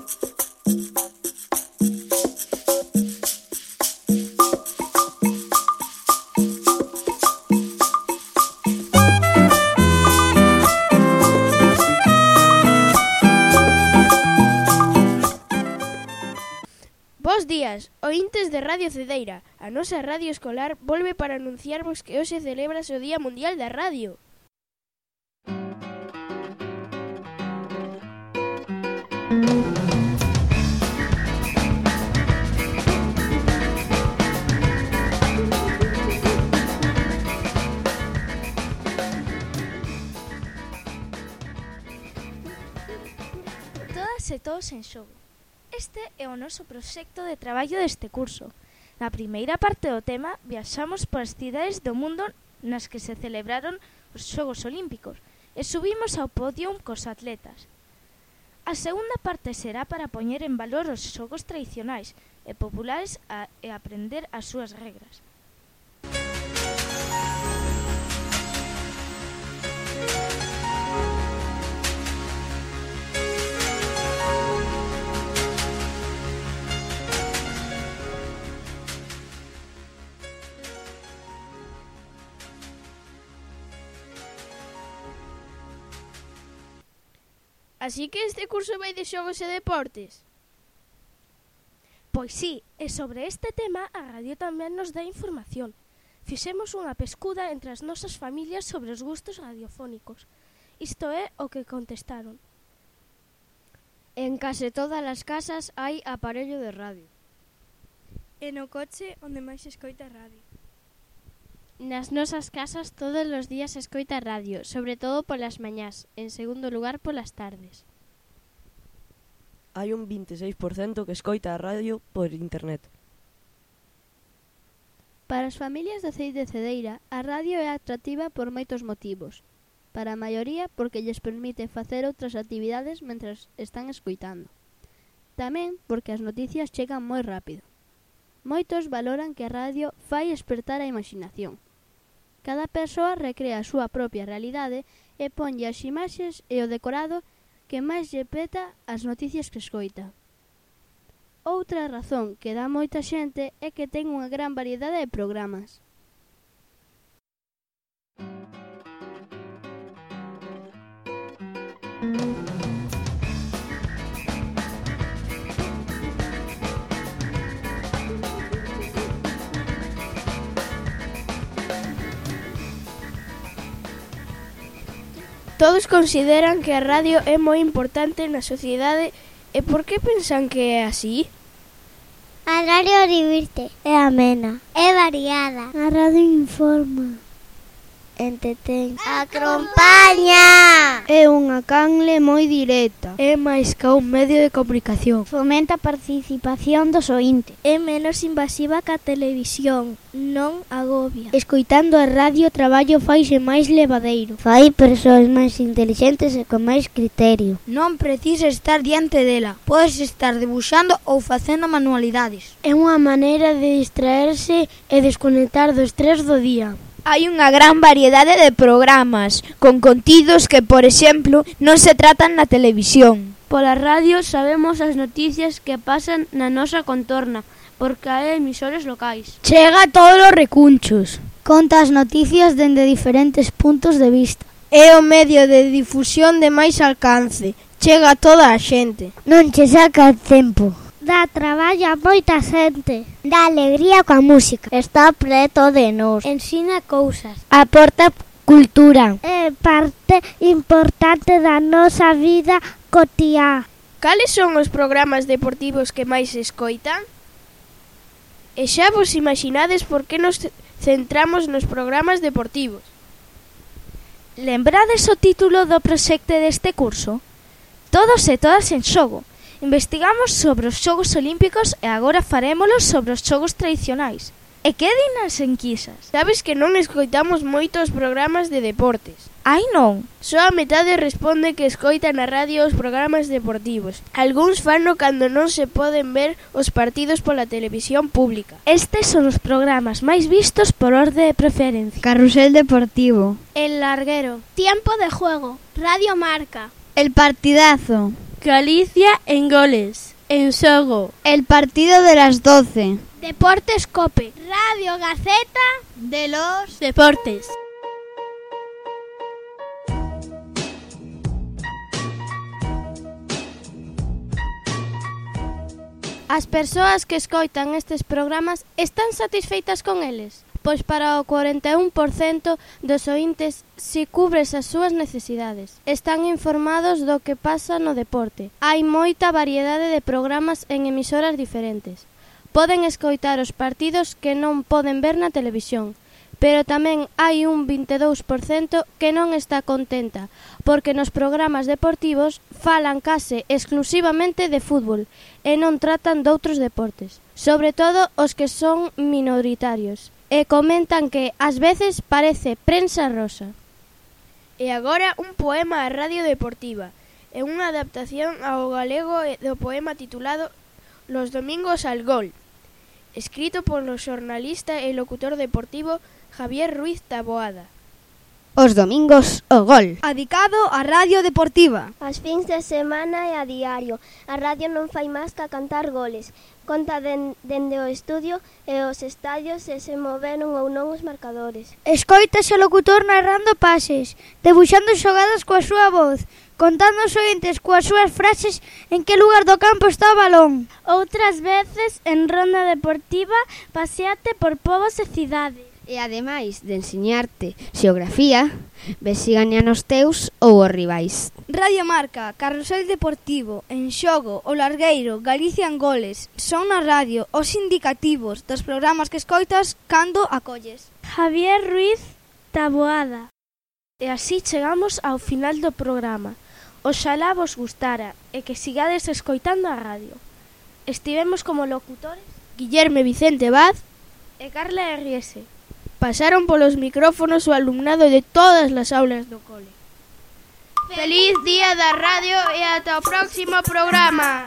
Bos días, oíntes de Radio Cedeira. A nosa radio escolar volve para anunciarvos que hoxe celebras o Día Mundial da Radio. Todas e todos en xogo. Este é o noso proxecto de traballo deste curso. Na primeira parte do tema, viaxamos polas cidades do mundo nas que se celebraron os Xogos Olímpicos e subimos ao podio cos atletas. A segunda parte será para poñer en valor os xogos tradicionais e populares e aprender as súas regras. Así que este curso vai de xogos e deportes? Pois sí, e sobre este tema a radio tamén nos dá información. Fixemos unha pescuda entre as nosas familias sobre os gustos radiofónicos. Isto é o que contestaron. En case todas as casas hai aparello de radio. E no coche onde máis se escoita radio. Nas nosas casas todos os días se escoita radio, sobre todo polas mañás, en segundo lugar polas tardes. Hai un 26% que escoita a radio por internet. Para as familias de Cee de Cedeira, a radio é atractiva por moitos motivos. Para a maioría, porque lles permite facer outras actividades mentras están escoitando. Tamén porque as noticias chegan moi rápido. Moitos valoran que a radio fai espertar a imaginación. Cada persoa recrea a súa propia realidade e ponlle as imaxes e o decorado que máis lle peta as noticias que escoita. Outra razón que dá moita xente é que ten unha gran variedade de programas. Todos consideran que a radio é moi importante na sociedade e por que pensan que é así? A radio divirte, é amena, é variada. A radio informa, entretén, acompaña. É unha canle moi directa. É máis que un medio de comunicación. Fomenta a participación dos oíntes. É menos invasiva que a televisión, non agobia. Escoitando a radio, o traballo faise máis levadeiro. Fai persoas máis intelixentes e con máis criterio. Non precisa estar diante dela. Podes estar debuxando ou facendo manualidades. É unha maneira de distraerse e desconectar do estrés do día. Hai unha gran variedade de programas, con contidos que, por exemplo, non se tratan na televisión. Pola radio sabemos as noticias que pasan na nosa contorna, porque hai emisores locais. Chega a todos os recunchos. Conta as noticias dende diferentes puntos de vista. É o medio de difusión de máis alcance. Chega a toda a xente. Non che saca tempo. Dá traballo a moita xente. Dá alegría coa música. Está preto de nós. Ensina cousas. Aporta cultura. É parte importante da nosa vida cotiá. Cales son os programas deportivos que máis se escoitan? E xa vos imaginades por que nos centramos nos programas deportivos? Lembrades o título do proxecto deste curso? Todos e todas en xogo. Investigamos sobre os Xogos Olímpicos e agora farémolo sobre os xogos tradicionais. E que din as enquisas? Sabes que non escoitamos moitos programas de deportes. Ai non. Só a metade responde que escoita na radio os programas deportivos. Algúns fano cando non se poden ver os partidos pola televisión pública. Estes son os programas máis vistos por orde de preferencia. Carrusel deportivo. El larguero. Tiempo de juego. Radio Marca. El partidazo. Galicia en goles. En xogo. El partido de las 12. Deportes Cope. Radio Gaceta De los Deportes. As persoas que escoitan estes programas están satisfeitas con eles? Pois para o 41% dos ointes si cubres as súas necesidades. Están informados do que pasa no deporte. Hai moita variedade de programas en emisoras diferentes. Poden escoitar os partidos que non poden ver na televisión, pero tamén hai un 22% que non está contenta, porque nos programas deportivos falan case exclusivamente de fútbol e non tratan doutros deportes, sobre todo os que son minoritarios, e comentan que ás veces parece prensa rosa. E agora un poema á Radio Deportiva, e unha adaptación ao galego do poema titulado Los domingos al gol, escrito polo xornalista e locutor deportivo Javier Ruiz Taboada. Os domingos o gol. Adicado á Radio Deportiva. As fins de semana e a diario. A radio non fai máis que cantar goles. Conta dende o estudio e os estadios se moveron ou non os marcadores. Escoítase o locutor narrando pases, debuxando xogadas coa súa voz, contando os ointes coas súas frases en que lugar do campo está o balón. Outras veces, en ronda deportiva, paseate por povos e cidades. E ademais de ensiñarte xeografía, ves si gañan os teus ou os rivais. Radio Marca, Carrusel Deportivo, En Xogo, O Largueiro, Galicia en goles. Son na radio os indicativos dos programas que escoitas cando acolles. Javier Ruiz Taboada. E así chegamos ao final do programa. Oxalá vos gustara e que sigades escoitando a radio. Estivemos como locutores Guillerme Vicente Vaz e Carla R.S. Pasaron polos micrófonos o alumnado de todas as aulas do cole. ¡Feliz Día da Radio e ata o próximo programa!